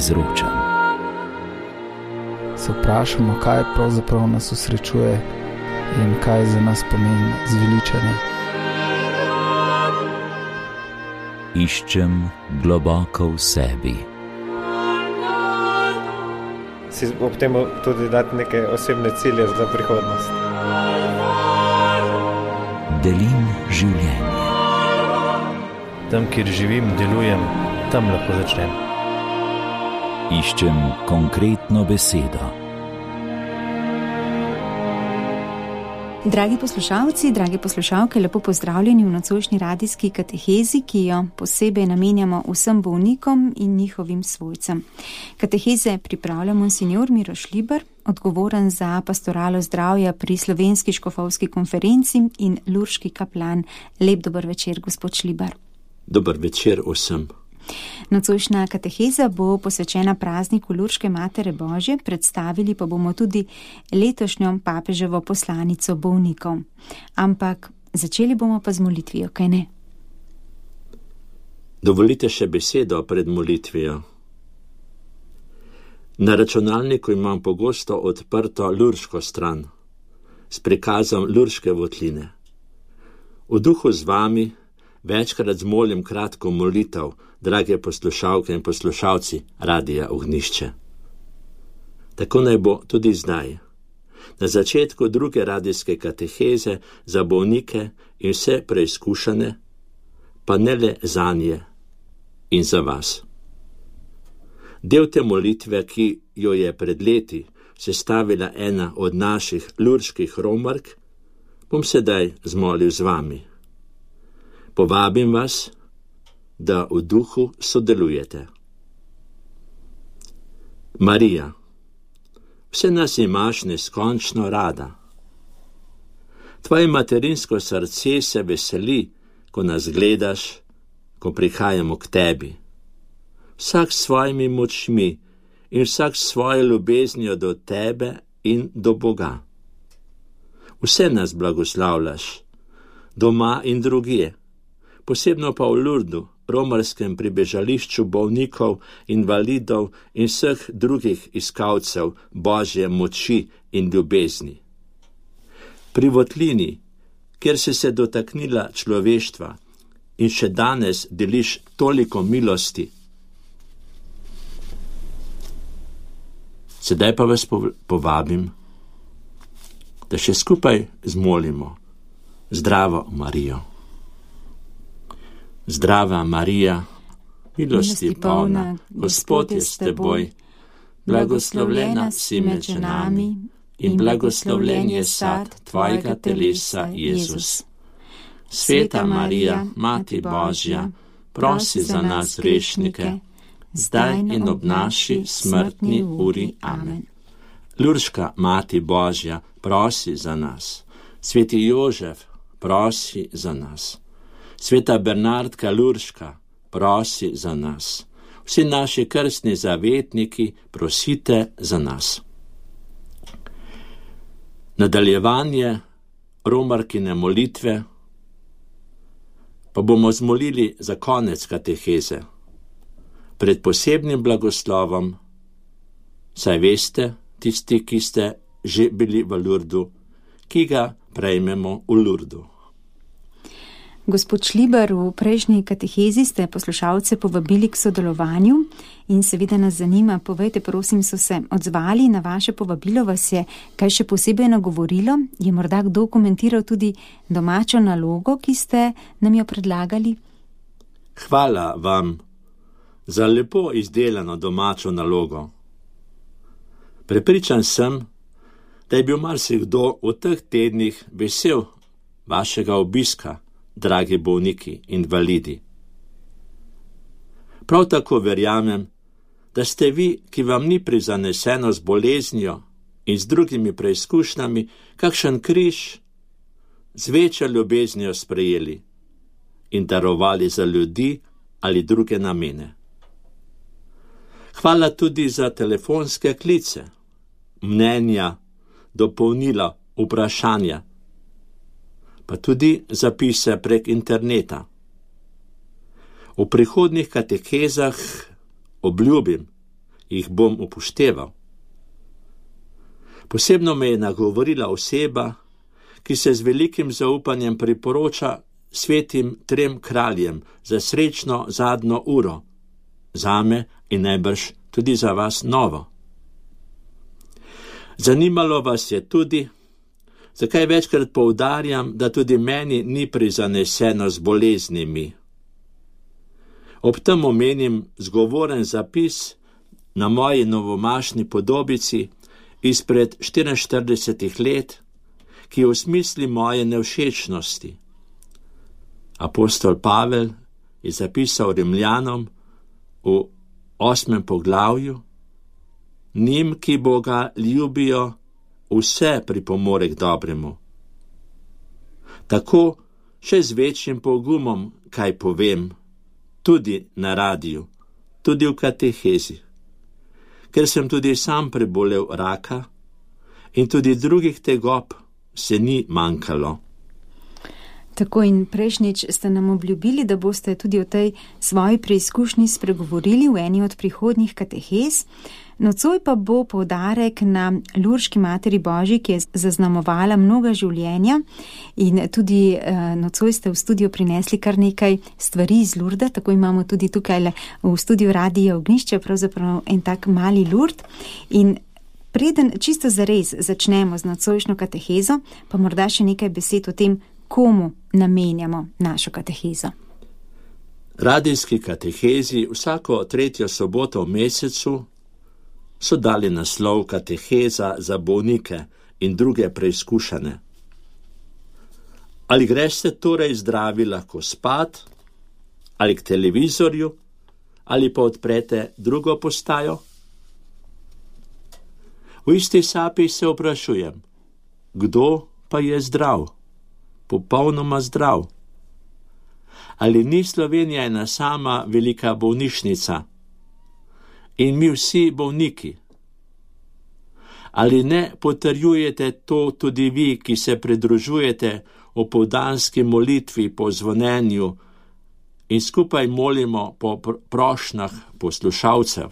izročam. Se vprašamo, kaj pravzaprav nas osrečuje in kaj za nas pomeni zveličanje. Iščem globoko v sebi. Si ob tem tudi dati neke osebne cilje za prihodnost. Delim življenje. Tam, kjer živim, delujem, tam lahko začnem. Iščem konkretno besedo. Dragi poslušalci, drage poslušalke, lepo pozdravljeni v nocojšnji radijski katehezi, ki jo posebej namenjamo vsem bolnikom in njihovim svojcem. Kateheze pripravlja monsignor Miroš Libar, odgovoren za pastoralo zdravja pri Slovenski škofovski konferenci in lurški kaplan. Lep dober večer, gospod Šlibar. Dober večer vsem. Nocojšnja kateheza bo posvečena prazniku Lurške Matere Božje, predstavili pa bomo tudi letošnjo papeževo poslanico bolnikov. Ampak začeli bomo pa z molitvijo, kaj ne? Dovolite še besedo pred molitvijo. Na računalniku imam pogosto odprto lurško stran s prikazom lurške votline. V duhu z vami večkrat zmolim kratko molitev, drage poslušalke in poslušalci Radija Ognjišče. Tako naj bo tudi zdaj. Na začetku druge radijske kateheze za bolnike in vse preizkušane, pa ne le zanje in za vas. Del te molitve, ki jo je pred leti sestavila ena od naših lurških romark, bom sedaj zmolil z vami. Povabim vas, da v duhu sodelujete. Marija, vse nas imaš neskončno rada. Tvoje materinsko srce se veseli, ko nas gledaš, ko prihajamo k tebi. Vsak s svojimi močmi in vsak s svojo ljubeznijo do tebe in do Boga. Vse nas blagoslavljaš, doma in drugje, posebno pa v Lurdu, romarskem pribežališču bolnikov, invalidov in vseh drugih iskalcev Božje moči in ljubezni. Pri votlini, kjer si se dotaknila človeštva in še danes deliš toliko milosti. Sedaj pa vas povabim, da še skupaj zmolimo Zdravo Marijo. Zdrava Marija, milosti polna, Gospod je s teboj, blagoslovljena si med ženami in blagoslovljen je sad tvojega telesa, Jezus. Sveta Marija, Mati Božja, prosi za nas grešnike, zdaj in ob naši smrtni uri. Amen. Lurška Mati Božja, prosi za nas. Sveti Jožef, prosi za nas. Sveta Bernardka Lurška, prosi za nas. Vsi naši krstni zavetniki, prosite za nas. Nadaljevanje romarkine molitve pa bomo zmolili za konec kateheze. Pred posebnim blagoslovom, saj veste, tisti, ki ste že bili v Lurdu, ki ga prejmemo v Lurdu. Gospod Šlibar, v prejšnji katehezi ste poslušalce povabili k sodelovanju in seveda nas zanima, povejte, prosim, so se odzvali na vaše povabilo, vas je kaj še posebej nagovorilo? Je morda kdo komentiral tudi domačo nalogo, ki ste nam jo predlagali? Hvala vam za lepo izdelano domačo nalogo. Prepričan sem, da je bil marsikdo v teh tednih vesel vašega obiska, dragi bolniki, invalidi. Prav tako verjamem, da ste vi, ki vam ni prizaneseno z boleznijo in z drugimi preizkušnjami, kakšen križ z večjo ljubeznijo sprejeli in darovali za ljudi ali druge namene. Hvala tudi za telefonske klice, mnenja, dopolnila, vprašanja, pa tudi zapise prek interneta. V prihodnjih katehezah obljubim, jih bom upošteval. Posebno me je nagovorila oseba, ki se z velikim zaupanjem priporoča svetim 3 kraljem za srečno zadnjo uro, zame in najbrž tudi za vas novo. Zanimalo vas je tudi, zakaj večkrat poudarjam, da tudi meni ni prizaneseno z boleznimi. Ob tem omenim zgovoren zapis na moji novomašni podobici izpred 44 let, ki osmisli moje nevšečnosti. Apostol Pavel je zapisal Rimljanom v 8. poglavju: njim, ki Boga ljubijo, vse pripomore k dobremu. Tako še z večjim pogumom, kaj povem, tudi na radiju, tudi v katehezi, ker sem tudi sam prebolel raka in tudi drugih tegob se ni manjkalo. Tako in prejšnjič ste nam obljubili, da boste tudi o tej svoji preizkušnji spregovorili v eni od prihodnjih katehez. Nocoj pa bo poudarek na Lurški Materi Božji, ki je zaznamovala mnoga življenja, in tudi nocoj ste v studio prinesli kar nekaj stvari iz Lurda, tako imamo tudi tukaj v studiu Radia Ognjišče, pravzaprav en tak mali Lurd. In preden čisto zares začnemo z nocojšnjo katehezo, pa morda še nekaj besed o tem, komu namenjamo našo katehezo. Radijski katehezi vsako 3. soboto v mesecu so dali naslov Kateheza za bolnike in druge preizkušane. Ali greste torej zdravi lahko spat, ali k televizorju, ali pa odprete drugo postajo? V isti sapi se vprašujem, kdo pa je zdrav? Popolnoma zdrav. Ali ni Slovenija ena sama velika bolnišnica in mi vsi bolniki? Ali ne potrjujete to tudi vi, ki se pridružujete opoldanski molitvi po zvonjenju in skupaj molimo po prošnjah poslušalcev?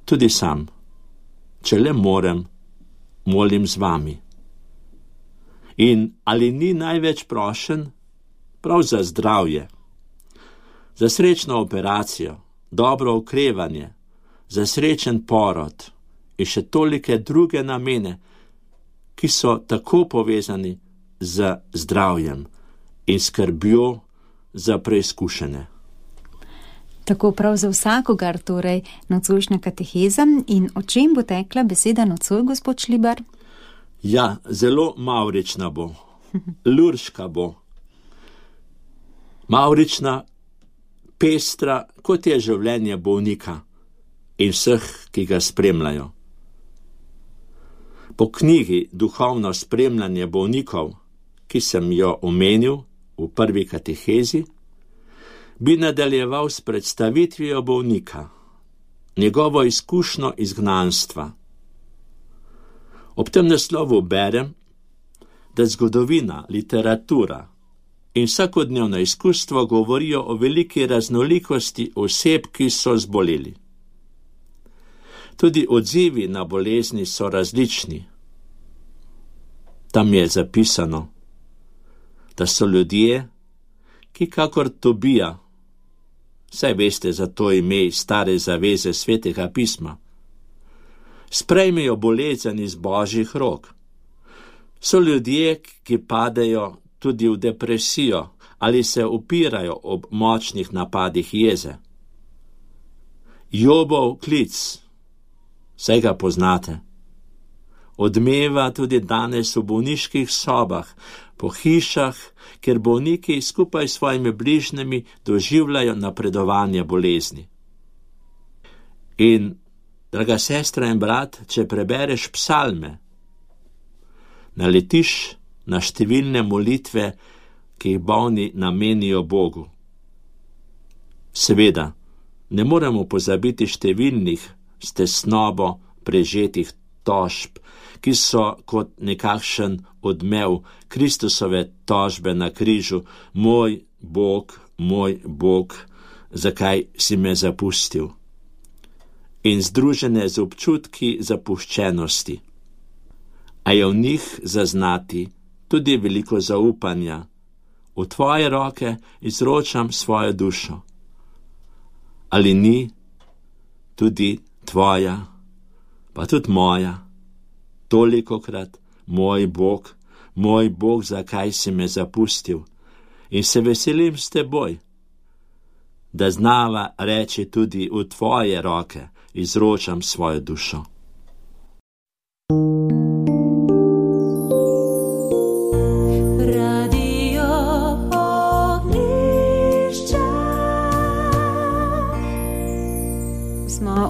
Tudi sam, če le morem, molim z vami. In ali ni največ prošen prav za zdravje, za srečno operacijo, dobro okrevanje, za srečen porod in še tolike druge namene, ki so tako povezani z zdravjem in skrbjo za preizkušene. Tako prav za vsakogar torej nocojšnja kateheza. In o čem bo tekla beseda nocoj, gospod Šlibar? Ja, zelo mavrična bo, lurška bo. Mavrična, pestra, kot je življenje bolnika in vseh, ki ga spremljajo. Po knjigi Duhovno spremljanje bolnikov, ki sem jo omenil v prvi katehezi, bi nadaljeval s predstavitvijo bolnika, njegovo izkušnjo izgnanstva. Ob tem naslovu berem, da zgodovina, literatura in vsakodnevno izkustvo govorijo o veliki raznolikosti oseb, ki so zboleli. Tudi odzivi na bolezni so različni. Tam je zapisano, da so ljudje, ki kakor Tobija, saj veste za to ime iz Stare zaveze Svetega pisma, sprejmejo bolezen iz Božjih rok. So ljudje, ki padejo tudi v depresijo ali se upirajo ob močnih napadih jeze. Jobov klic, saj ga poznate, odmeva tudi danes v bolniških sobah, po hišah, kjer bolniki skupaj s svojimi bližnjimi doživljajo napredovanje bolezni. In draga sestra in brat, če prebereš psalme, naletiš na številne molitve, ki jih bolni namenijo Bogu. Seveda, ne moremo pozabiti številnih s tesnobo prežetih tožb, ki so kot nekakšen odmev Kristusove tožbe na križu: moj Bog, zakaj si me zapustil? in združene z občutki zapuščenosti. A je v njih zaznati tudi veliko zaupanja. V tvoje roke izročam svojo dušo. Ali ni tudi tvoja, pa tudi moja, tolikokrat, moj Bog, zakaj si me zapustil? In se veselim s teboj, da znava reči tudi v tvoje roke izročam svojo dušo.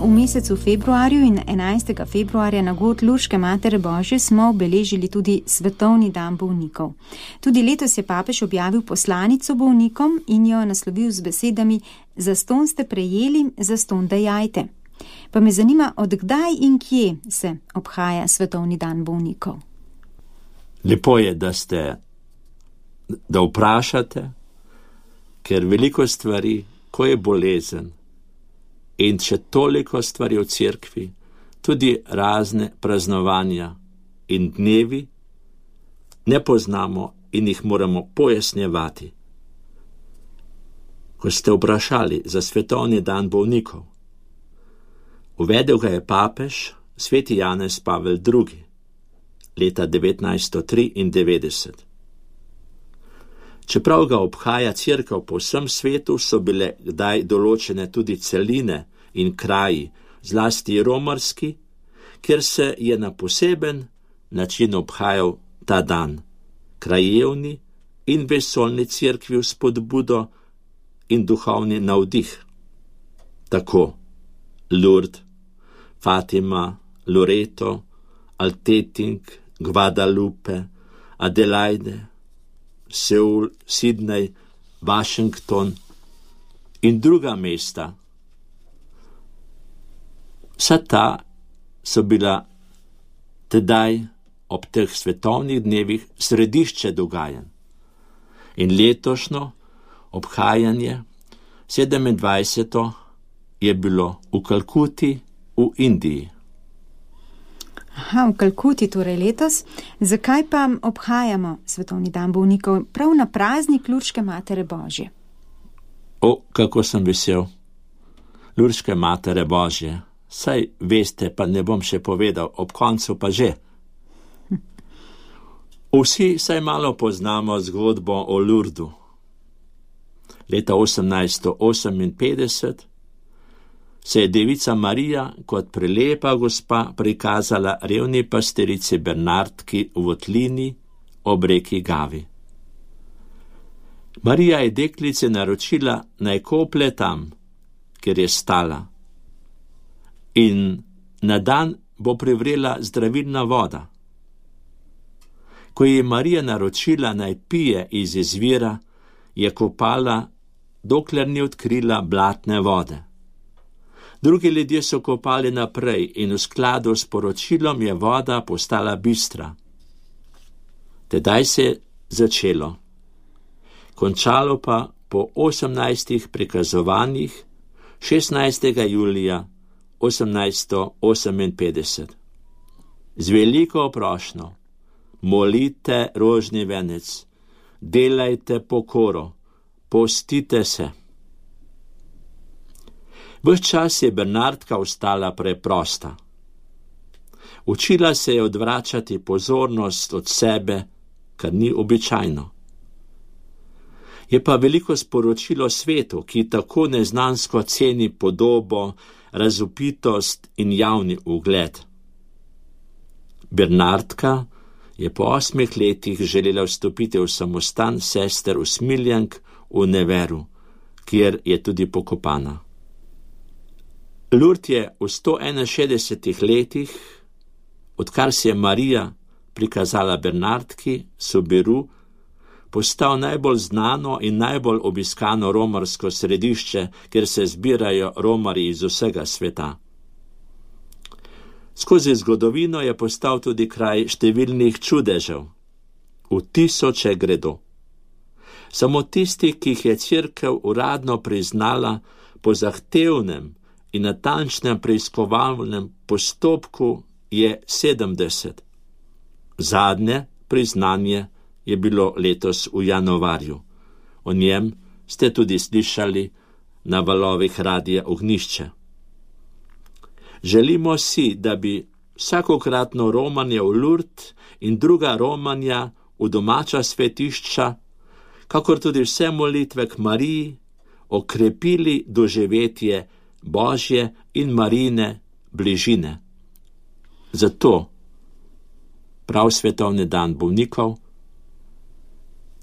V mesecu februarju in 11. februarja na god Lurške Matere Božje smo obeležili tudi Svetovni dan bolnikov. Tudi letos je papež objavil poslanico bolnikom in jo naslovil z besedami: zastonj ste prejeli, zastonj dajajte. Pa me zanima, od kdaj in kje se obhaja Svetovni dan bolnikov? Lepo je, da vprašate, ker veliko stvari, ko je bolezen, in še toliko stvari v cerkvi, tudi razne praznovanja in dnevi, ne poznamo in jih moramo pojasnjevati. Ko ste vprašali za Svetovni dan bolnikov, uvedel ga je papež sveti Janez Pavel II. Leta 1993. Čeprav ga obhaja cerkev po vsem svetu, so bile kdaj določene tudi celine in kraji, zlasti romarski, kjer se je na poseben način obhajal ta dan, krajevni in vesoljni cerkvi v spodbudo in duhovni navdih. Tako Lourdes, Fatima, Loreto, Alteting, Guadalupe, Adelaide, Seul, Sydney, Washington in druga mesta. Vsa ta so bila tedaj ob teh svetovnih dnevih središče dogajanj. In letošnjo obhajanje 27. je bilo v Kalkuti v Indiji. V Kalkuti torej letos. Zakaj pa obhajamo Svetovni dan bolnikov prav na praznik Lurške Matere Božje? Kako sem vesel. Lurške Matere Božje. Saj veste, pa ne bom še povedal, ob koncu pa že. Vsi saj malo poznamo zgodbo o Lurdu. Leta 1858 se je devica Marija kot prelepa gospa prikazala revni pasterici Bernardki v votlini ob reki Gavi. Marija je deklice naročila, naj koplje tam, kjer je stala, in na dan bo privrela zdravilna voda. Ko je Marija naročila, naj pije iz izvira, je kopala, dokler ni odkrila blatne vode. Drugi ljudje so kopali naprej in v skladu s poročilom je voda postala bistra. Tedaj se je začelo. Končalo pa po 18 prikazovanjih 16. julija 1858. Z veliko prošnjo: molite rožni venec, delajte pokoro, postite se. Ves čas je Bernardka ostala preprosta. Učila se je odvračati pozornost od sebe, kar ni običajno. Je pa veliko sporočilo svetu, ki tako neznansko ceni podobo, razvpitost in javni ugled. Bernardka je po 8 letih želela vstopiti v samostan sester v Smiljank v Neveru, kjer je tudi pokopana. Lourdes je v 161 letih, odkar se je Marija prikazala Bernardki, Soberu, postal najbolj znano in najbolj obiskano romarsko središče, kjer se zbirajo romarji iz vsega sveta. Skozi zgodovino je postal tudi kraj številnih čudežev. V tisoče gredo. Samo tisti, ki jih je cerkev uradno priznala po zahtevnem, in natančnem preiskovalnem postopku je 70. Zadnje priznanje je bilo letos v januarju. O njem ste tudi slišali na valovih Radia Ognjišče. Želimo si, da bi vsakokratno romanje v Lourdes in druga romanja v domača svetišča, kakor tudi vse molitve k Mariji, okrepili doživetje Božje in Marijine bližine. Zato prav svetovni dan bolnikov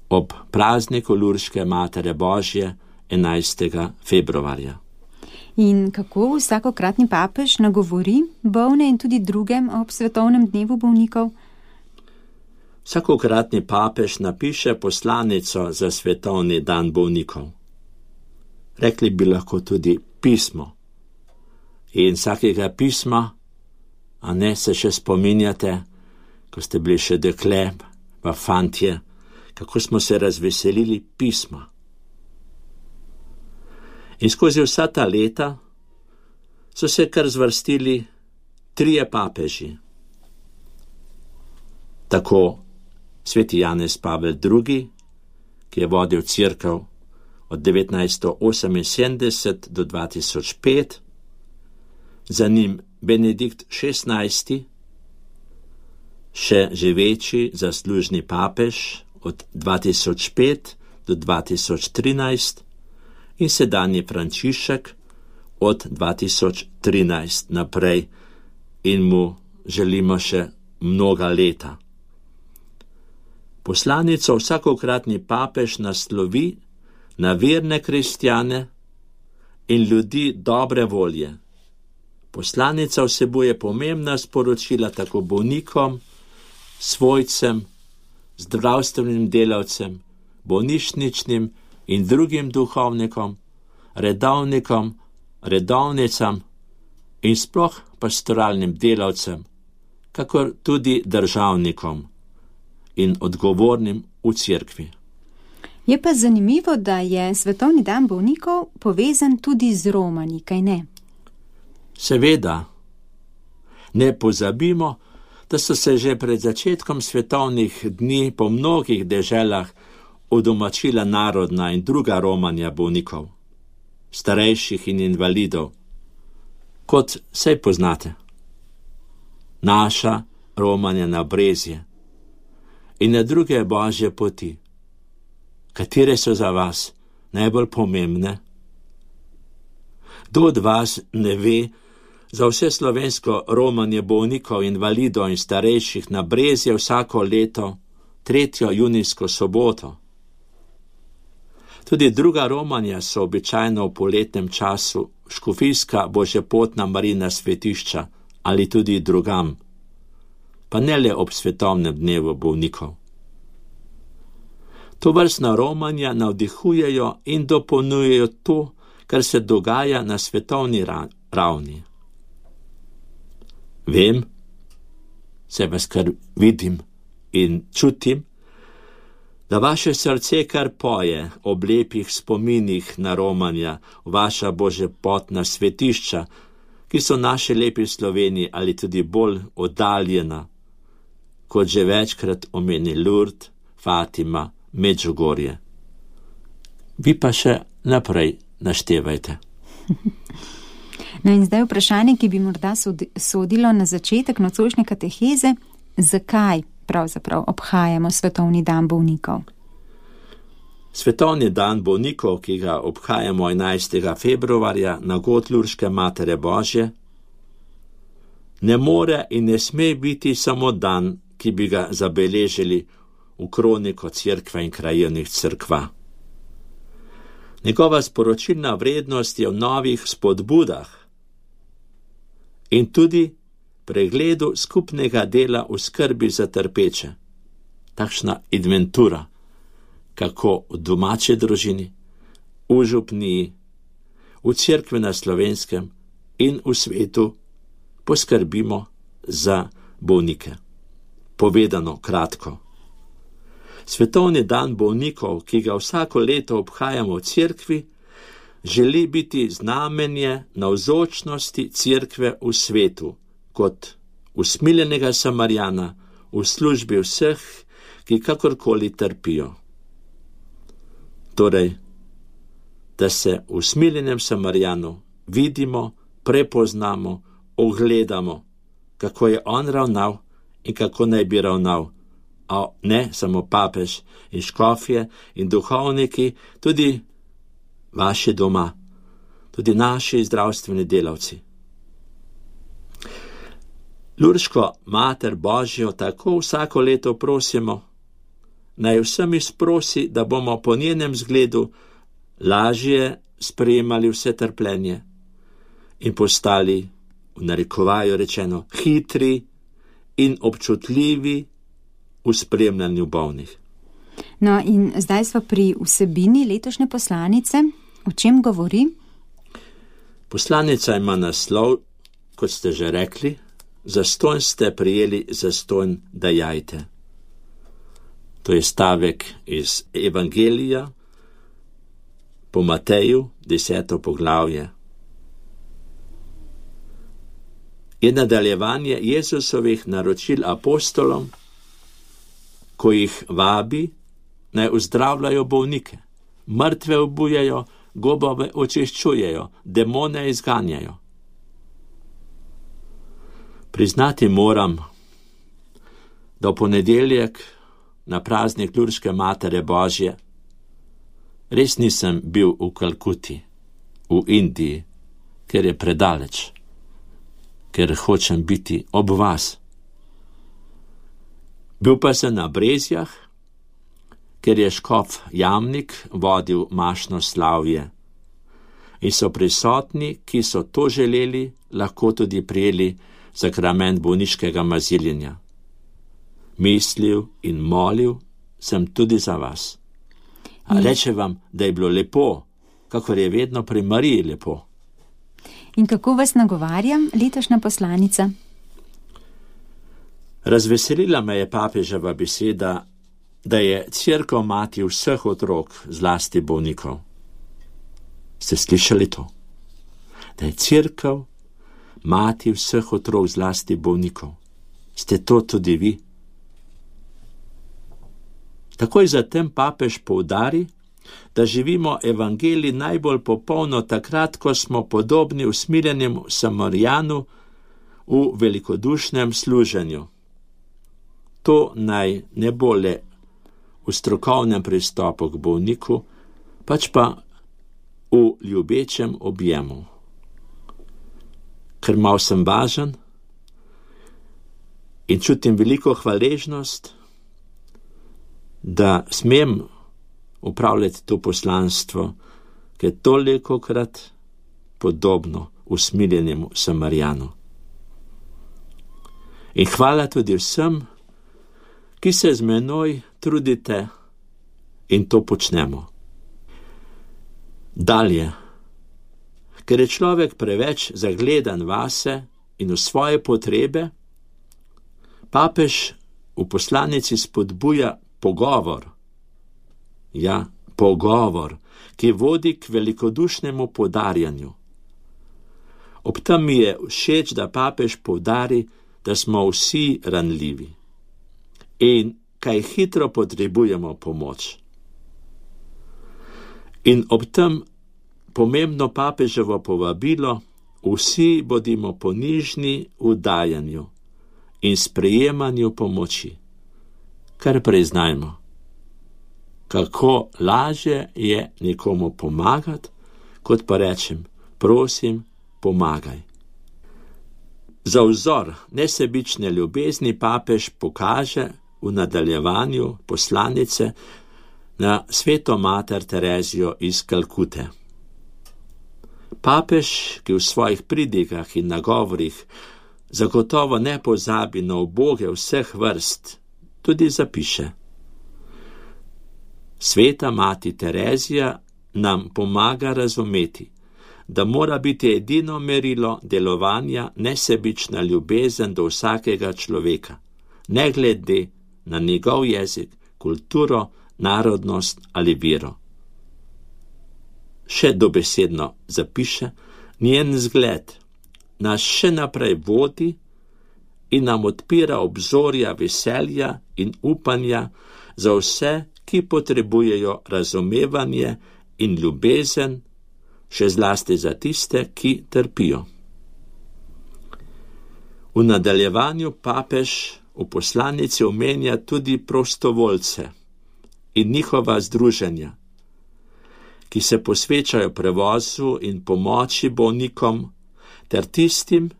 ob prazniku Lurške Matere Božje 11. februarja. In kako vsakokratni papež nagovori bolne in tudi drugem ob svetovnem dnevu bolnikov? Vsakokratni papež napiše poslanico za svetovni dan bolnikov. Rekli bi lahko tudi pismo. In vsakega pisma, a ne se še spominjate, ko ste bili še dekle, pa fantje, kako smo se razveselili pisma. In skozi vsa ta leta so se kar zvrstili 3 papeži. Tako sveti Janez Pavel II., ki je vodil cerkev od 1978 do 2005, za njim Benedikt XVI., še živeči zaslužni papež od 2005 do 2013 in sedanji Frančišek od 2013 naprej in mu želimo še mnoga leta. Poslanico vsakokratni papež naslovi na verne kristjane in ljudi dobre volje. Poslanica vsebuje pomembna sporočila tako bolnikom, svojcem, zdravstvenim delavcem, bolnišničnim in drugim duhovnikom, redovnikom, redovnicam in sploh pastoralnim delavcem, kakor tudi državnikom in odgovornim v cerkvi. Je pa zanimivo, da je svetovni dan bolnikov povezan tudi z romanji, kaj ne? Seveda. Ne pozabimo, da so se že pred začetkom svetovnih dni po mnogih deželah udomačila narodna in druga romanja bolnikov, starejših in invalidov, kot saj poznate. Naša romanja na Brezje in na druge božje poti. Katere so za vas najbolj pomembne? Kdo od vas ne ve za vse slovensko romanje bolnikov, invalidov in starejših na Brezje vsako leto 3. junijsko soboto? Tudi druga romanja so običajno v poletnem času škofijska božjepotna Marijina svetišča ali tudi drugam, pa ne le ob svetovnem dnevu bolnikov. Tovrstna romanja navdihujejo in dopolnjujejo to, kar se dogaja na svetovni ravni. Vem, se vas kar vidim in čutim, da vaše srce kar poje ob lepih spominih na romanja, vaša božjepotna svetišča, ki so naše lepi Sloveniji ali tudi bolj oddaljena, kot že večkrat omeni Lourdes, Fatima, Medžugorje. Vi pa še naprej naštevajte. No in zdaj vprašanje, ki bi morda sodilo na začetek nocojšnje kateheze, zakaj pravzaprav obhajamo svetovni dan bolnikov? Svetovni dan bolnikov, ki ga obhajamo 11. februarja na god Lurške Matere Božje, ne more in ne sme biti samo dan, ki bi ga zabeležili v kroniko cerkve in krajevnih cerkva. Njegova sporočilna vrednost je v novih spodbudah in tudi pregledu skupnega dela v skrbi za trpeče. Takšna inventura, kako v domači družini, v župniji, v cerkvi na Slovenskem in v svetu poskrbimo za bolnike. Povedano kratko. Svetovni dan bolnikov, ki ga vsako leto obhajamo v cerkvi, želi biti znamenje navzočnosti Cerkve v svetu, kot usmiljenega Samarijana v službi vseh, ki kakorkoli trpijo. Torej, da se v usmiljenem Samarijanu vidimo, prepoznamo, ogledamo, kako je on ravnal in kako naj bi ravnal, a ne samo papež in škofje in duhovniki, tudi vaši doma, tudi naši zdravstveni delavci. Lurško Mater Božjo tako vsako leto prosimo, naj vsem izprosi, da bomo po njenem zgledu lažje sprejemali vse trpljenje in postali, v narekovaju rečeno, hitri in občutljivi v spremljanju bolnih. No in zdaj smo pri vsebini letošnje poslanice. O čem govori? Poslanica ima naslov, kot ste že rekli, zastonj ste prijeli, zastonj dajajte. To je stavek iz Evangelija po Mateju, 10. poglavje. Je nadaljevanje Jezusovih naročil apostolom, ko jih vabi, naj uzdravljajo bolnike, mrtve obujajo, gobove očiščujejo, demone izganjajo. Priznati moram, da v ponedeljek na praznik Lurške Matere Božje res nisem bil v Kalkuti, v Indiji, ker je predaleč, ker hočem biti ob vas. Bil pa sem na Brezjah, ker je škof Jamnik vodil mašno slavje in so prisotni, ki so to želeli, lahko tudi prijeli sakrament bolniškega maziljenja. Mislil in molil sem tudi za vas. A reče vam, da je bilo lepo, kakor je vedno pri Mariji lepo. In kako vas nagovarja letošnja poslanica? Razveselila me je papeževa beseda, da je Cerkev mati vseh otrok, zlasti bolnikov. Ste slišali to? Da je Cerkev mati vseh otrok, zlasti bolnikov. Ste to tudi vi? Takoj zatem papež poudari, da živimo evangelij najbolj popolno takrat, ko smo podobni usmiljenemu Samarijanu v velikodušnem služenju. To naj ne bo le v strokovnem pristopu k bolniku, pač pa v ljubečem objemu. Ker mal sem važen in čutim veliko hvaležnost, da smem upravljati to poslanstvo, ki je tolikokrat podobno usmiljenemu Samarijanu. In hvala tudi vsem, ki se z menoj trudite in to počnemo. Dalje, ker je človek preveč zagledan vase in v svoje potrebe, papež v poslanici spodbuja pogovor. Ja, pogovor, ki vodi k velikodušnemu podarjanju. Ob tem mi je všeč, da papež poudari, da smo vsi ranljivi in kaj hitro potrebujemo pomoč. In ob tem pomembno papeževo povabilo, vsi bodimo ponižni v dajanju in sprejemanju pomoči. Kar priznajmo, kako lažje je nekomu pomagati, kot pa rečem, prosim, pomagaj. Za vzor nesebične ljubezni papež pokaže v nadaljevanju poslanice na sveto mater Terezijo iz Kalkute. Papež, ki v svojih pridigah in nagovorih zagotovo ne pozabi na uboge vseh vrst, tudi zapiše: Sveta mati Terezija nam pomaga razumeti, da mora biti edino merilo delovanja nesebična ljubezen do vsakega človeka, ne glede na njegov jezik, kulturo, narodnost ali vero. še dobesedno zapiše, njen zgled nas še naprej vodi in nam odpira obzorja veselja in upanja za vse, ki potrebujejo razumevanje in ljubezen, še zlasti za tiste, ki trpijo. V nadaljevanju papež v poslanici omenja tudi prostovoljce in njihova združenja, ki se posvečajo prevozu in pomoči bolnikom ter tistim,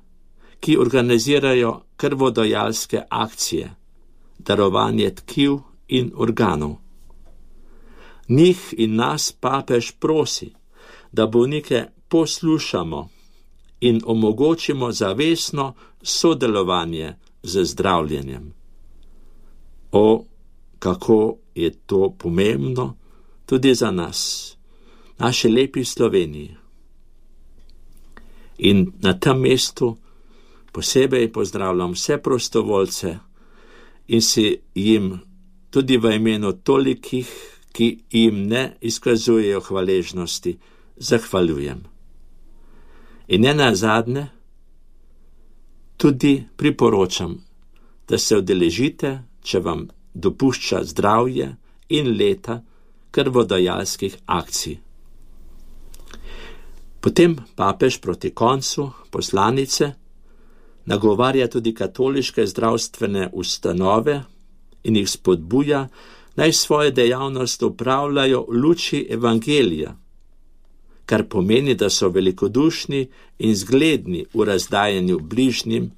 ki organizirajo krvodajalske akcije, darovanje tkiv in organov. Njih in nas papež prosi, da bolnike poslušamo in omogočimo zavestno sodelovanje z zdravljenjem. O, kako je to pomembno tudi za nas, naši lepi Sloveniji. In na tem mestu posebej pozdravljam vse prostovoljce in si jim tudi v imenu tolikih, ki jim ne izkazujejo hvaležnosti, zahvaljujem. In ne nazadnje, tudi priporočam, da se udeležite, če vam dopušča zdravje in leta krvodajalskih akcij. Potem papež proti koncu poslanice nagovarja tudi katoliške zdravstvene ustanove in jih spodbuja, naj svoje dejavnost opravljajo v luči evangelija, kar pomeni, da so velikodušni in zgledni v razdajanju bližnjim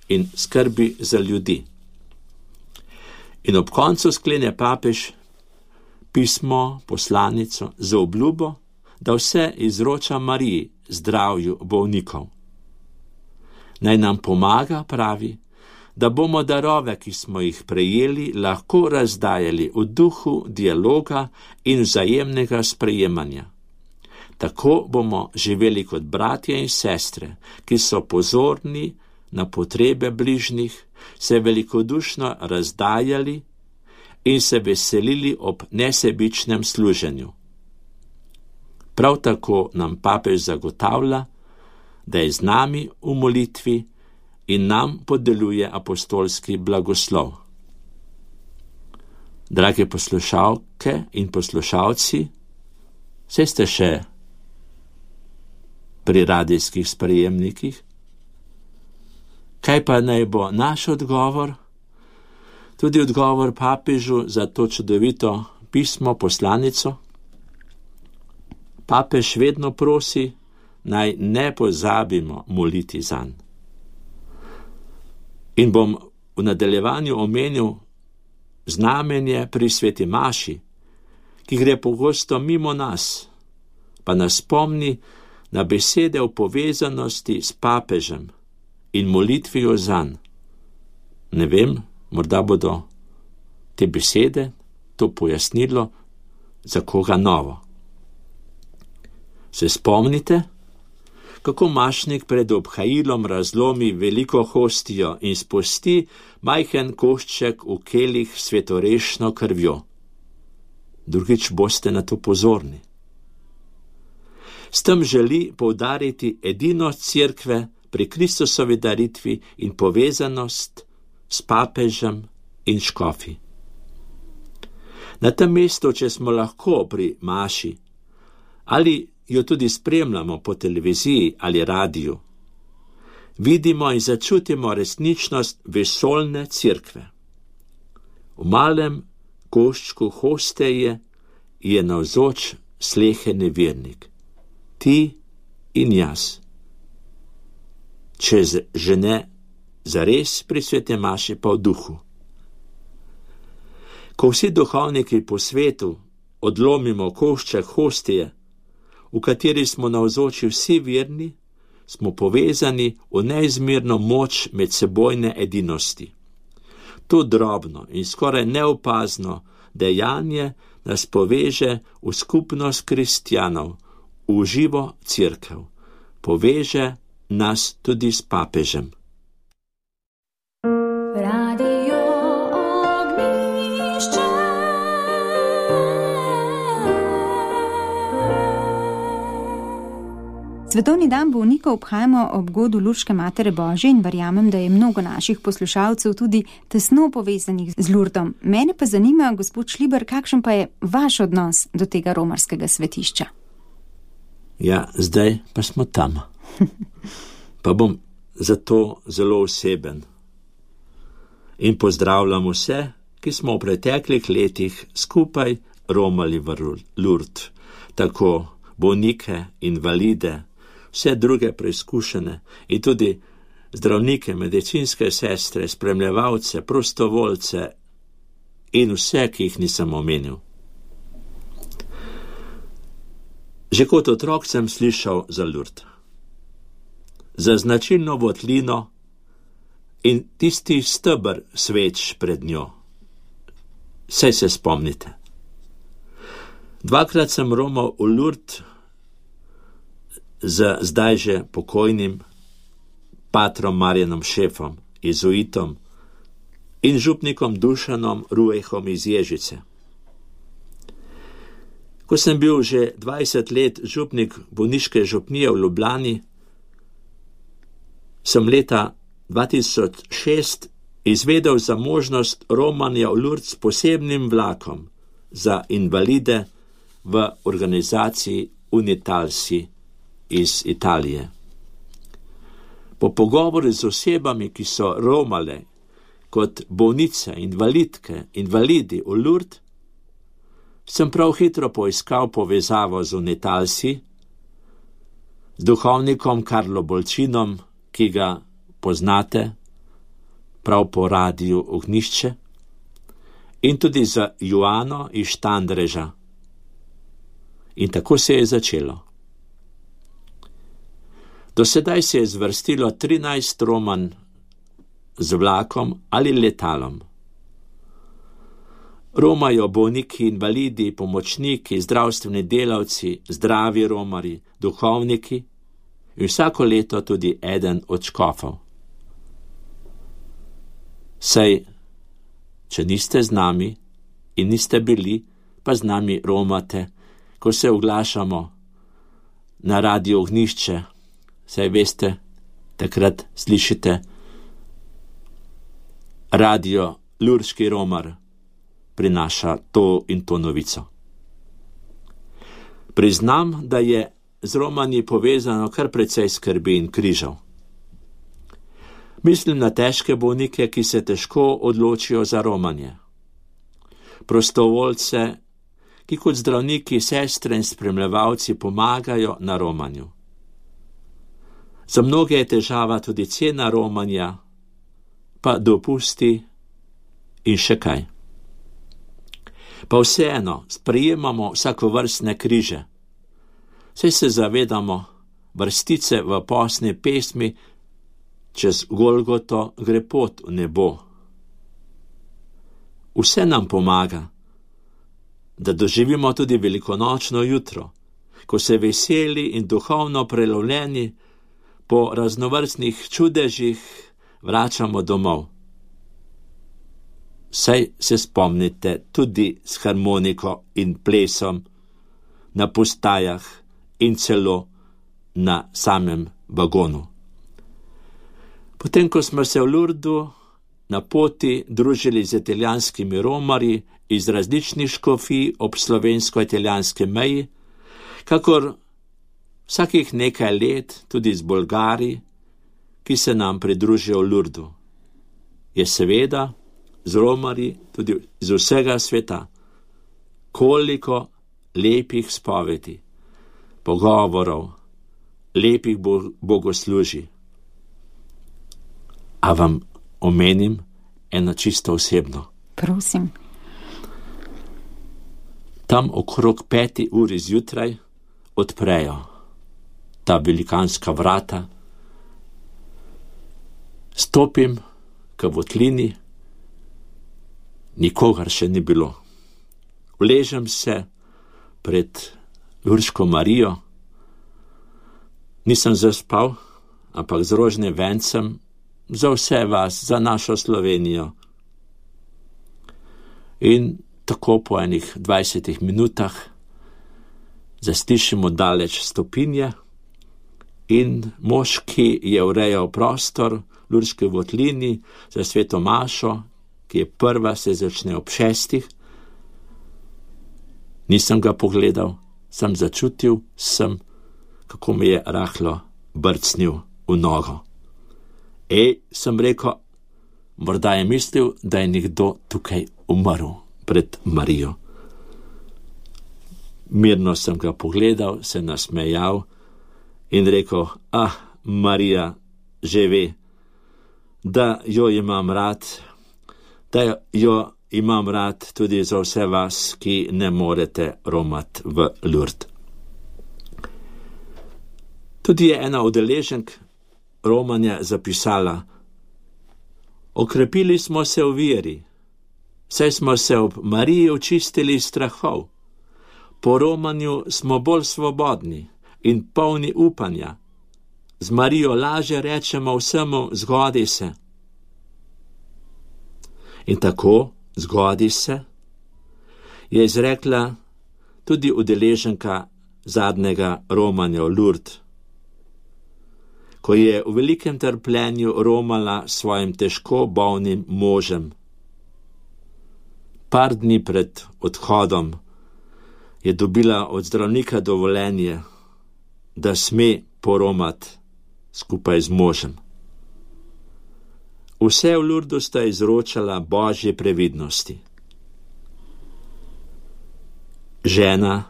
in skrbi za ljudi. In ob koncu sklene papež pismo, poslanico z obljubo, da vse izroča Mariji, zdravju bolnikov. Naj nam pomaga, pravi, da bomo darove, ki smo jih prejeli, lahko razdajali v duhu dialoga in vzajemnega sprejemanja. Tako bomo živeli kot bratje in sestre, ki so pozorni na potrebe bližnjih, se velikodušno razdajali in se veselili ob nesebičnem služenju. Prav tako nam papež zagotavlja, da je z nami v molitvi in nam podeljuje apostolski blagoslov. Drage poslušalke in poslušalci, saj ste še pri radijskih sprejemnikih? Kaj pa naj bo naš odgovor? Tudi odgovor papežu za to čudovito pismo, poslanico? Papež vedno prosi, naj ne pozabimo moliti zanj. In bom v nadaljevanju omenil znamenje pri sveti maši, ki gre pogosto mimo nas, pa nas spomni na besede v povezanosti s papežem in molitvijo zanj. Ne vem, morda bodo te besede, to pojasnilo za koga novo. Se spomnite, kako mašnik pred obhajilom razlomi veliko hostijo in spusti majhen košček v kelih svetorešno krvjo? Drugič boste na to pozorni. S tem želi poudariti edinost cerkve pri Kristusovi daritvi in povezanost s papežem in škofi. Na tem mestu, če smo lahko pri maši, ali jo tudi spremljamo po televiziji ali radiju, vidimo in začutimo resničnost vesoljne cerkve. V malem koščku hosteje je navzoč sleheni vernik, ti in jaz. Če že ne zares pri svete maši, pa v duhu. Ko vsi duhovniki po svetu odlomimo košček hostije, v kateri smo navzoči vsi verni, smo povezani v neizmerno moč medsebojne edinosti. To drobno in skoraj neopazno dejanje nas poveže v skupnost kristjanov, v živo cerkev. Poveže nas tudi s papežem. Radio Ognjišče. Svetovni dan bolnikov obhajamo ob godu Lurške Matere Božje in verjamem, da je mnogo naših poslušalcev tudi tesno povezanih z Lurdom. Mene pa zanima, gospod Šliber, kakšen pa je vaš odnos do tega romarskega svetišča? Ja, zdaj pa smo tam. Pa bom zato zelo oseben. In pozdravljam vse, ki smo v preteklih letih skupaj romali v Lurd, tako bolnike, invalide, vse druge preizkušene in tudi zdravnike, medicinske sestre, spremljevalce, prostovoljce in vse, ki jih nisem omenil. Že kot otrok sem slišal za Lurd, za značilno votlino in tisti steber sveč pred njo. Saj se spomnite. 2-krat sem romal v Lurd z zdaj že pokojnim patrom Marjanom Šefom, jezuitom in župnikom Dušanom Ruejhom iz Ježice. Ko sem bil že 20 let župnik bolniške župnije v Ljubljani, sem leta 2006 izvedel za možnost romanja v Lurd s posebnim vlakom za invalide v organizaciji Unitalsi iz Italije. Po pogovoru z osebami, ki so romale kot bolnice, invalidke, invalidi v Lurd, sem prav hitro poiskal povezavo z Unitalsi, z duhovnikom Karlo Bolčinom, ki ga poznate prav po radiju Ognjišče, in tudi za Joano iz Štandreža. In tako se je začelo. Do sedaj se je zvrstilo 13 romanj z vlakom ali letalom. Romajo bolniki, invalidi, pomočniki, zdravstveni delavci, zdravi romari, duhovniki in vsako leto tudi eden od škofov. Saj, če niste z nami in niste bili, pa z nami romate, ko se oglašamo na radio Ognjišče, saj veste, takrat slišite radio Lurški romar prinaša to in to novico. Priznam, da je z romanji povezano kar precej skrbi in križev. Mislim na težke bolnike, ki se težko odločijo za romanje. Prostovoljce, ki kot zdravniki, sestre in spremljevalci pomagajo na romanju. Za mnoge je težava tudi cena romanja, pa dopusti in še kaj. Pa vseeno sprejemamo vsakovrstne križe. Saj se zavedamo vrstice v posni pesmi Čez Golgoto gre pot v nebo. Vse nam pomaga, da doživimo tudi velikonočno jutro, ko se veseli in duhovno prelovljeni po raznovrstnih čudežih vračamo domov. Saj se spomnite tudi s harmoniko in plesom na postajah in celo na samem vagonu. Potem, ko smo se v Lurdu na poti družili z italijanskimi romarji iz različnih škofij ob slovensko-italijanski meji, kakor vsakih nekaj let tudi z Bolgari, ki se nam pridružijo v Lurdu, je seveda z romarji tudi iz vsega sveta koliko lepih spovedi, pogovorov, lepih bogoslužij. A vam omenim eno čisto osebno? Prosim. Tam okrog 5 uri zjutraj odprejo ta velikanska vrata. Stopim k votlini, nikogar še ni bilo. Uležem se pred Lurško Marijo, nisem zaspal, ampak z rožnim vencem za vse vas, za našo Slovenijo. In tako po enih 20 minutah zaslišimo daleč stopinje in mož, ki je urejal prostor Lurdski votlini za sveto mašo, ki je prva, se začne ob 6. Nisem ga pogledal, sem začutil, kako mi je rahlo brcnil v nogo. Sem rekel, morda je mislil, da je nekdo tukaj umrl pred Marijo. Mirno sem ga pogledal, se nasmejal in rekel, Marija že ve, da jo imam rad, da jo imam rad tudi za vse vas, ki ne morete romati v Lurd. Tudi je ena udeleženk romanja zapisala, okrepili smo se v veri, saj smo se ob Mariji očistili strahov, po romanju smo bolj svobodni in polni upanja, z Marijo lažje rečemo vsemu zgodi se. In tako, zgodi se, je izrekla tudi udeleženka zadnjega romanja v Lurd, ko je v velikem trpljenju romala s svojim težko bolnim možem. Par dni pred odhodom je dobila od zdravnika dovoljenje, da sme poromati skupaj z možem. Vse v Lurdu sta izročala Božje previdnosti. Žena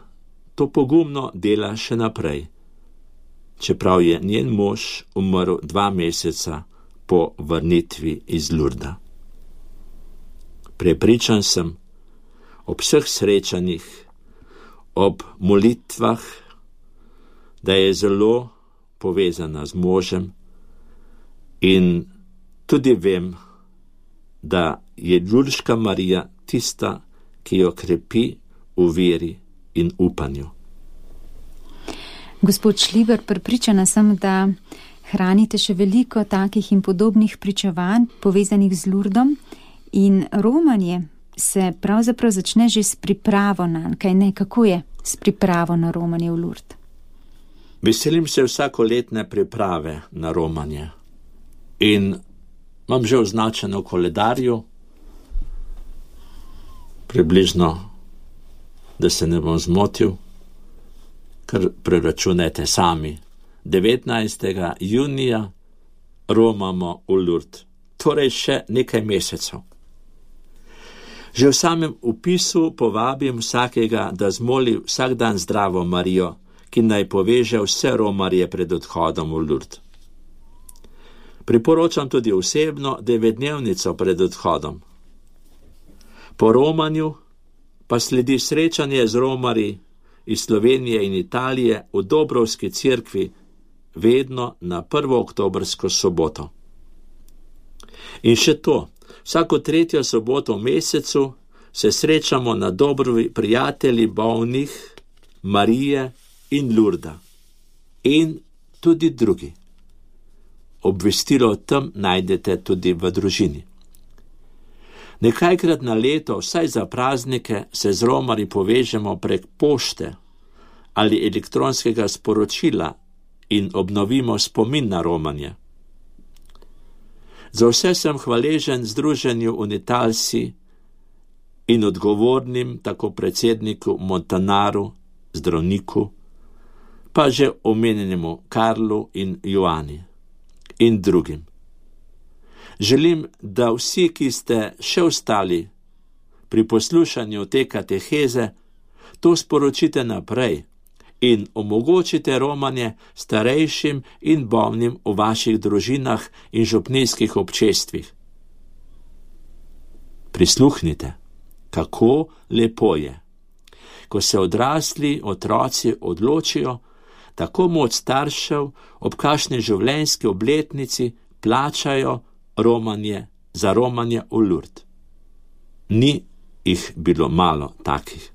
to pogumno dela še naprej, čeprav je njen mož umrl 2 meseca po vrnitvi iz Lurda. Prepričan sem, ob vseh srečanjih, ob molitvah, da je zelo povezana z možem in tudi vem, da je Lurdska Marija tista, ki jo krepi v veri in upanju. Gospod Šliber, prepričana sem, da hranite še veliko takih in podobnih pričevanj povezanih z Lurdom in romanje se pravzaprav začne že s pripravo nanj, kaj ne, kako je s pripravo na romanje v Lurd? Veselim se vsakoletne priprave na romanje in imam že označeno v koledarju, približno, da se ne bom zmotil, kar preračunajte sami. 19. junija romamo v Lurd, torej še nekaj mesecev. Že v samem upisu povabim vsakega, da zmoli vsak dan zdravo Marijo, ki naj poveže vse romarje pred odhodom v Lurd. Priporočam tudi osebno 9-dnevnico pred odhodom. Po romanju pa sledi srečanje z romarji iz Slovenije in Italije v Dobrovski cerkvi, vedno na 1. oktobrsko soboto. In še to, vsako 3. soboto v mesecu se srečamo na Dobrovi prijatelji bolnih Marije in Lurda in tudi drugi. Obvestilo o tem najdete tudi v družini. Nekajkrat na leto, vsaj za praznike, se z romarji povežemo prek pošte ali elektronskega sporočila in obnovimo spomin na romanje. Za vse sem hvaležen Združenju Unitalsi in odgovornim tako predsedniku Montanaru, zdravniku, pa že omenjenemu Karlu in Joani in drugim. Želim, da vsi, ki ste še ostali pri poslušanju te kateheze, to sporočite naprej in omogočite romanje starejšim in bolnim v vaših družinah in župnijskih občestvih. Prisluhnite, kako lepo je, ko se odrasli otroci odločijo, tako moč staršev ob kakšni življenjski obletnici plačajo romanje za romanje v Lurd. Ni jih bilo malo takih.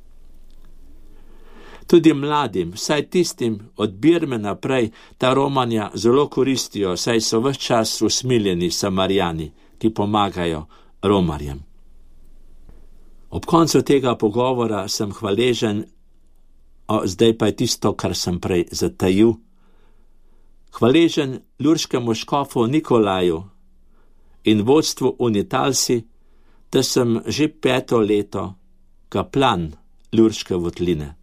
Tudi mladim, vsaj tistim od Birme naprej, ta romanja zelo koristijo, saj so ves čas usmiljeni Samarijani, ki pomagajo romarjem. Ob koncu tega pogovora sem hvaležen, zdaj pa je tisto, kar sem prej zatajil, Hvaležen lurškemu škofu Nikolaju in vodstvu Unitalsi, da sem že 5. leto kaplan Lurške votline.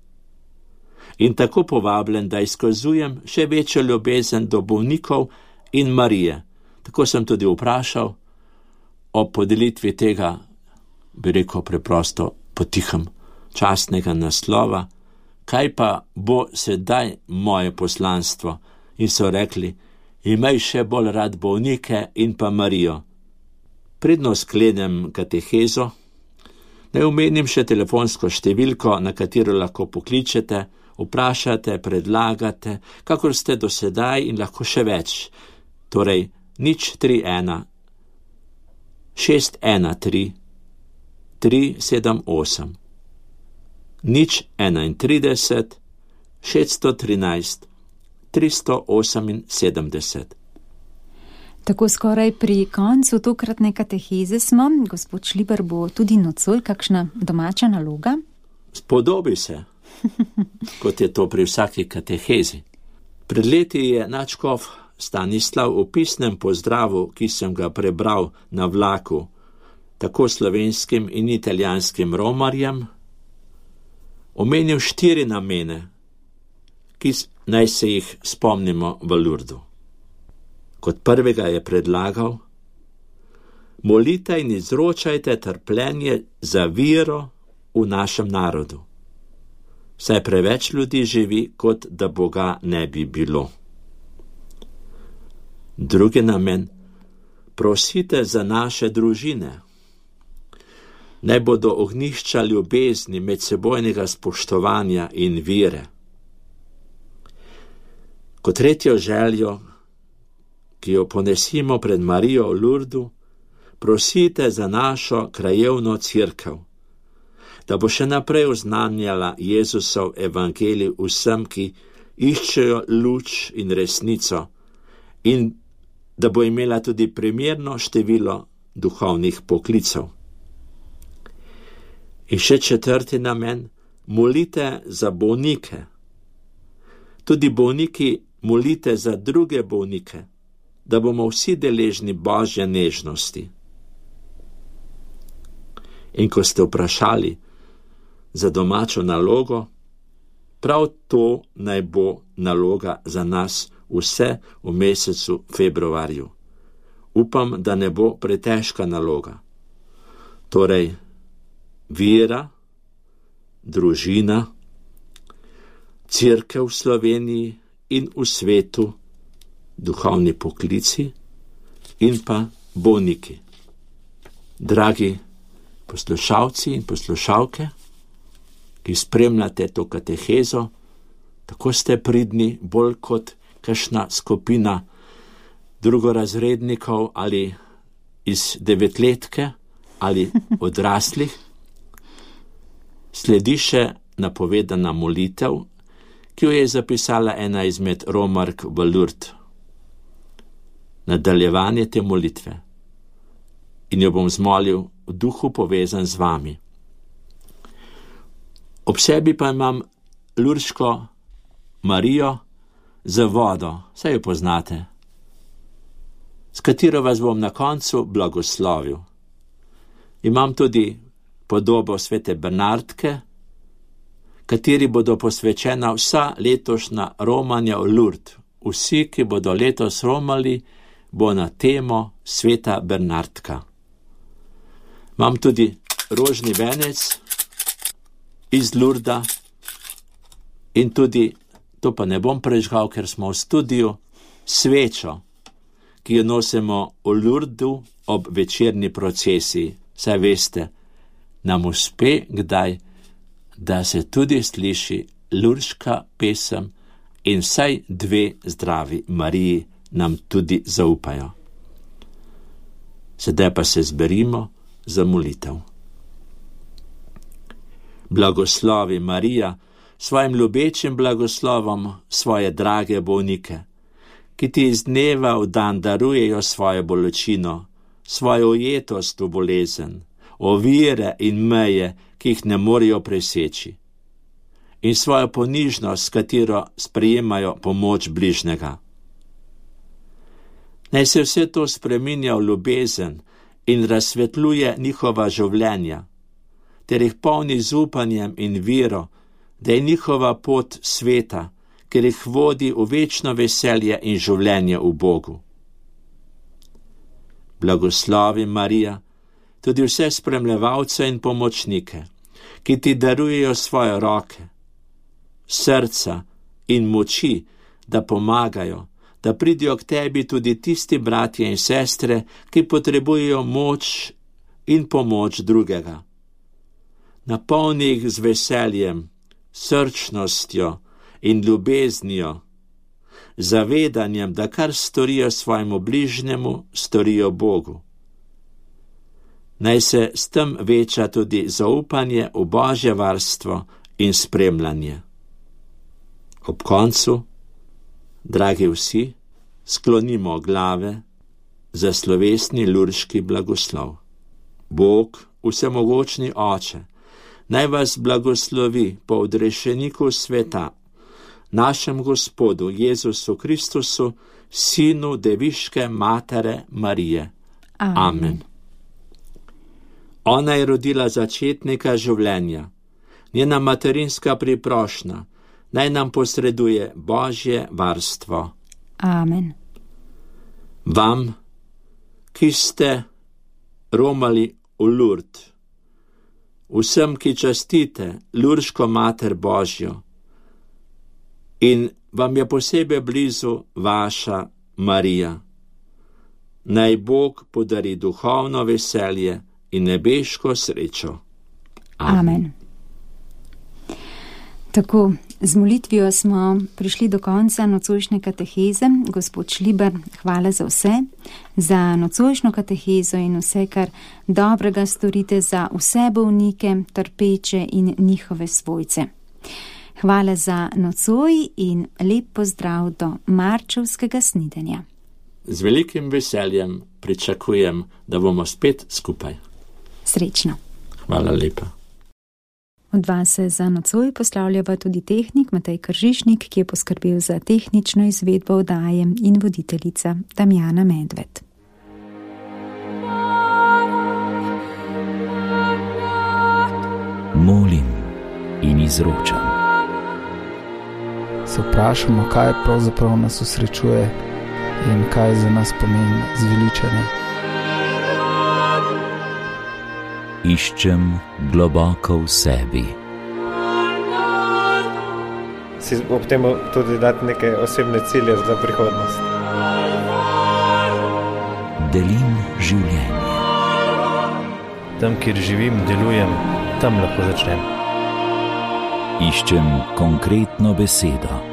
In tako povabljen, da izkazujem še večjo ljubezen do bolnikov in Marije. Tako sem tudi vprašal o podelitvi tega, bi rekel preprosto, potihem, častnega naslova, kaj pa bo sedaj moje poslanstvo. In so rekli, imej še bolj rad bolnike in pa Marijo. Predno sklenem katehezo, naj omenim še telefonsko številko, na katero lahko pokličete, vprašate, predlagate, kakor ste do sedaj in lahko še več. Torej 031 613 378 031 613 378. Tako skoraj pri koncu tokratne kateheze smo. Gospod Šlibar, bo tudi nocoj kakšna domača naloga? Spodobi se, kot je to pri vsaki katehezi. Pred leti je nadškof Stanislav v pisnem pozdravu, ki sem ga prebral na vlaku, tako slovenskim in italijanskim romarjem, omenil 4 namene, ki naj se jih spomnimo v Lurdu. Kot prvega je predlagal, molite in izročajte trpljenje za vero v našem narodu. Saj preveč ljudi živi, kot da Boga ne bi bilo. Drugi namen, prosite za naše družine. Naj bodo ognjišča ljubezni, medsebojnega spoštovanja in vere. Kot tretjo željo, ki jo ponesimo pred Marijo v Lurdu, prosite za našo krajevno cerkev, da bo še naprej oznanjala Jezusov evangelij vsem, ki iščejo luč in resnico, in da bo imela tudi primerno število duhovnih poklicev. In še 4. namen, molite za bolnike. Tudi bolniki molite za druge bolnike, da bomo vsi deležni Božje nežnosti. In ko ste vprašali za domačo nalogo, prav to naj bo naloga za nas vse v mesecu februarju. Upam, da ne bo pretežka naloga. Torej, vera, družina, cerkev v Sloveniji in v svetu, duhovni poklici in pa bolniki. Dragi poslušalci in poslušalke, ki spremljate to katehezo, tako ste pridni, bolj kot kakšna skupina drugorazrednikov ali iz 9-letke ali odraslih. Sledi še napovedana molitev, ki jo je zapisala ena izmed romark v Lurd. Nadaljevanje te molitve. In jo bom zmolil v duhu povezan z vami. Ob sebi pa imam lurško Marijo z vodo, saj jo poznate, s katero vas bom na koncu blagoslovil. Imam tudi podobo svete Bernardke, kateri bodo posvečena vsa letošnja romanja v Lurd. Vsi, ki bodo letos romali, bo na temo sveta Bernardka. Imam tudi rožni venec iz Lurda in tudi, to pa ne bom prežgal, ker smo v studiu, svečo, ki jo nosimo v Lurdu ob večerni procesiji. Saj veste, nam uspe kdaj, da se tudi sliši lurška pesem in vsaj 2 zdravi Mariji nam tudi zaupajo. Sedaj pa se zberimo za molitev. Blagoslovi Marija svojim ljubečim blagoslovom svoje drage bolnike, ki ti iz dneva v dan darujejo svojo bolečino, svojo ujetost v bolezen, ovire in meje, ki jih ne morejo preseči, in svojo ponižnost, s katero sprejemajo pomoč bližnjega. Naj se vse to spreminja v ljubezen in razsvetljuje njihova življenja, ter jih polni z upanjem in vero, da je njihova pot sveta, ker jih vodi v večno veselje in življenje v Bogu. Blagoslovi Marija, tudi vse spremljevalce in pomočnike, ki ti darujejo svoje roke, srca in moči, da pomagajo, da pridijo k tebi tudi tisti bratje in sestre, ki potrebujejo moč in pomoč drugega. Napolni jih z veseljem, srčnostjo in ljubeznijo, zavedanjem, da kar storijo svojemu bližnjemu, storijo Bogu. Naj se s tem veča tudi zaupanje v Božje varstvo in spremljanje. Ob koncu, dragi vsi, sklonimo glave za slovesni lurški blagoslov. Bog, vsemogočni Oče, naj vas blagoslovi po odrešeniku sveta, našem Gospodu Jezusu Kristusu, Sinu Deviške Matere Marije. Amen. Ona je rodila začetnika življenja, njena materinska priprošnja, naj nam posreduje Božje varstvo. Amen. Vam, ki ste romali v Lurd, vsem, ki častite Lurško Mater Božjo, in vam je posebej blizu vaša Marija, naj Bog podari duhovno veselje in nebeško srečo. Amen. Tako, z molitvijo smo prišli do konca nocojšnje kateheze. Gospod Šlibar, hvala za vse, za nocojšnjo katehezo in vse, kar dobrega storite za vse bolnike, trpeče in njihove svojce. Hvala za nocoj in lep pozdrav do marčevskega snidenja. Z velikim veseljem pričakujem, da bomo spet skupaj. Srečno. Hvala lepa. Od vas se za nocoj poslavljava tudi tehnik Matej Kržišnik, ki je poskrbel za tehnično izvedbo oddaje, in voditeljica Damjana Medved. Molim in izročam. Se vprašamo, kaj pravzaprav nas osrečuje in kaj za nas pomeni zveličanje. Iščem globoko v sebi. Si ob tem tudi dati neke osebne cilje za prihodnost. Delim življenje. Tam, kjer živim, delujem, tam lahko začnem. Iščem konkretno besedo.